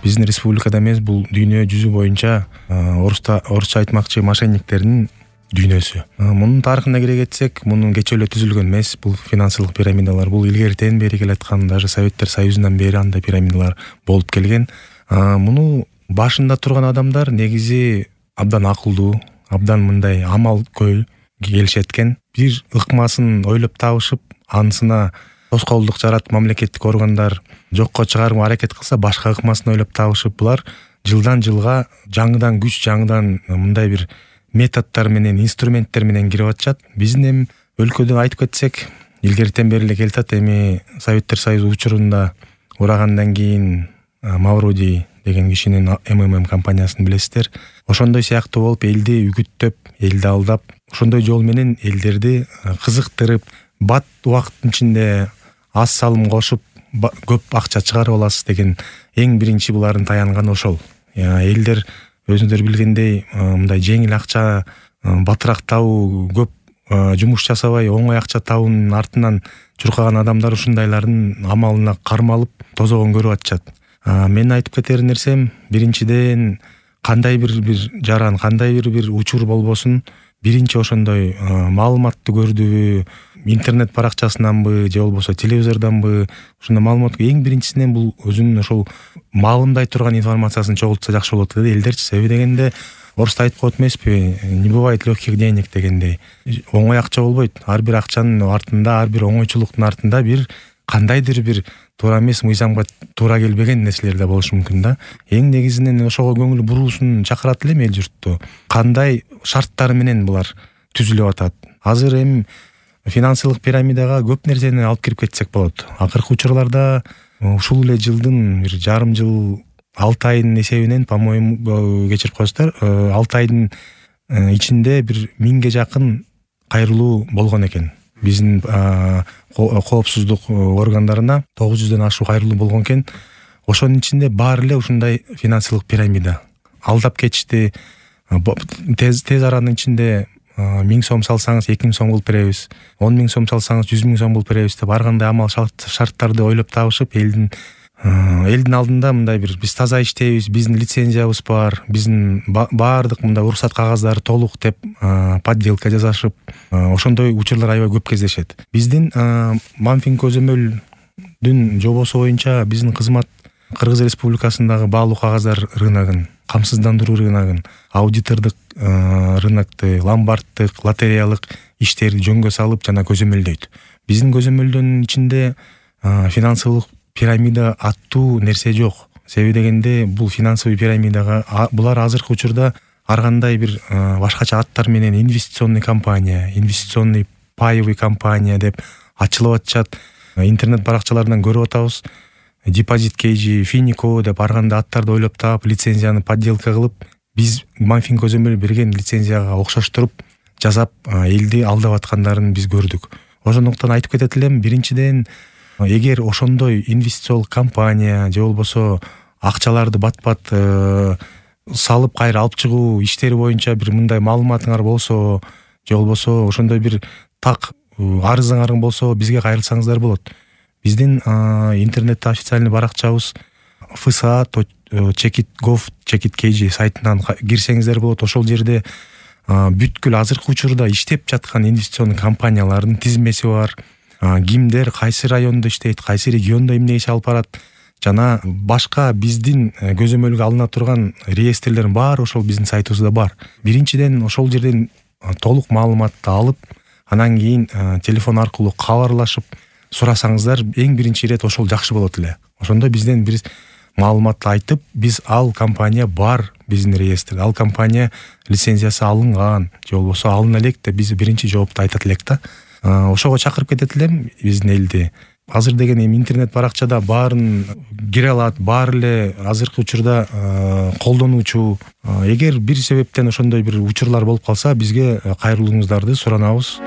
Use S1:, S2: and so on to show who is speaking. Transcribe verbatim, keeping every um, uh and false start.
S1: биздин республикада эмес, бул дүйнө жүзү боюнча орусча орусча айтмакчы мошенниктердин дүйнөсү. Мунун тарыхына кире кетсек, мунун кечээ эле түзүлгөн эмес. Бул финансылык пирамидалар бул илгертен бери келаткан, даже Советтер Союзунан бери андай пирамидалар болуп келген. Муну башында турган адамдар негизи абдан акылдуу, абдан мындай амал көй келишет экен. Бир ыкмасын ойлоп табышып, анысына тоскоолдук жаратып мамлекеттик органдар жокко чыгарууга аракет кылса, башка ыкмасын ойлоп табышып, булар жылдан жылга жаңыдан күч, жаңыдан мындай бир методдор менен, инструменттер менен кирип атышат. Биздин эми өлкөдө айтып кетсек, илгертен бери эле келатат. Эми Советтер Союзу учурунда урагандан кийин Мавроди деген кишинин эм эм эм компаниясын билесиздер. Ошондой сыяктуу болуп, элди үгүттөп, элди алдап, ошондой жол менен элдерди кызыктырып, бат убакыттын ичинде аз салым кошуп көп акча чыгарып аласыз деген эң биринчи булардын таянганы ошол. Элдер өзүңүздөр билгендей, мындай жеңил акча, батыраак табуу, көп жумуш жасабай оңой акча табуунун артынан чуркаган адамдар ушундайлардын амалына кармалып тозогон көрүп атышат. Мен айтып кетер нерсем, биринчиден кандай бир бир жаран, кандай бир бир учур болбосун, биринчи ошондой маалыматты көрдүбү, интернет баракчасынанбы же болбосо телевизордонбы, ушундай маалымат эң биринчисинен бул өзүнүн ошол маалымдай турган информациясын чогултса жакшы болот деди элдерчи. Себеби дегенде орусда айтып коет эмеспи, не бывает легких денег дегендей. Оңой акча болбойт. Ар бир акчанын артында, ар бир оңойчулуктун артында бир кандайдыр бир туура эмес, мыйзамга туура келбеген нерселер да болушу мүмкүн да. Эң негизинен ошого көңүл буруусун чакырат элем эл журтту. Кандай шарттар менен булар түзүлүп атат. Азыр эми финансылык пирамидага көп нерсени алып кирип кетсек болот. Акыркы учурларда ушул эле жылдын бир жарым жыл алты айдын эсебинен, по-моему, кечирип коесуздар, алты айдын ичинде бир миңге жакын кайрылуу болгон экен. Биздин коопсуздук органдарына тогуз жүздөн ашуу кайрылуу болгон экен. Ошонун ичинде баары эле ушундай финансылык пирамида. Алдап кетишти. Тез тез аранын ичинде миң сом салсаңыз эки миң сом кылып беребиз, он миң сом салсаңыз жүз миң сом кылып беребиз деп ар кандай амал шарттарды ойлоп табышып, элдин элдин алдында мындай бир биз таза иштейбиз, биздин лицензиябыз бар, биздин баардык мындай уруксат кагаздары толук деп подделка жасашып, ошондой учурлар аябай көп кездешет. Биздин Манфин көзөмөлдүн жобосу боюнча биздин кызмат Кыргыз Республикасындагы баалуу кагаздар рыногун, камсыздандыруу рыногун, аудитордук рынокты, ломбарддык, лотереялык иштерди жөнгө салып жана көзөмөлдөйт. Биздин көзөмөлдөнүн ичинде финансылык пирамида аттуу нерсе жок. Себеби дегенде бул финансовый пирамидага булар азыркы учурда ар кандай бир башкача аттар менен инвестиционный компания, инвестиционный паевый компания деп ачылып атышат. Интернет баракчаларынан көрүп атабыз. Депозит кейжи, Финико деп ар кандай аттарды ойлоп таап, лицензияны подделка кылып, биз Манфин көзөмөл берген лицензияга окшоштуруп жасап, элди алдап аткандарын биз көрдүк. Ошондуктан айтып кетет элем, биринчиден эгер ошондой инвестициялык компания же болбосо акчаларды бат-бат салып кайра алып чыгуу иштери боюнча бир мындай маалыматыңар болсо, же болбосо ошондой бир так арызыңар болсо, бизге кайрылсаңыздар болот. Биздин интернетте официальный баракчабыз эф эс а чекит гов чекит кейжи сайтынан кирсеңиздер болот. Ошол жерде бүткүл азыркы учурда иштеп жаткан инвестиционный компаниялардын тизмеси бар. Кимдер кайсы райондо иштейт, кайсы региондо эмне иш алып барат, жана башка биздин көзөмөлгө алына турган реестрлердин баары ошол биздин сайтыбызда бар. Биринчиден ошол жерден толук маалыматты алып, анан кийин телефон аркылуу кабарлашып сурасаңыздар, эң биринчи ирет ошол жакшы болот эле. Ошондо бизден бир маалыматты айтып, биз ал компания бар биздин реестрде, ал компания лицензиясы алынган, же болбосо алына элек деп биз биринчи жоопту айтат элек да. Ошого чакырып кетет элем биздин элди. Азыр деген эми интернет баракчада баарын кире алат, баары эле азыркы учурда колдонуучу. Эгер бир себептен ошондой бир учурлар болуп калса, бизге кайрылууңуздарды суранабыз.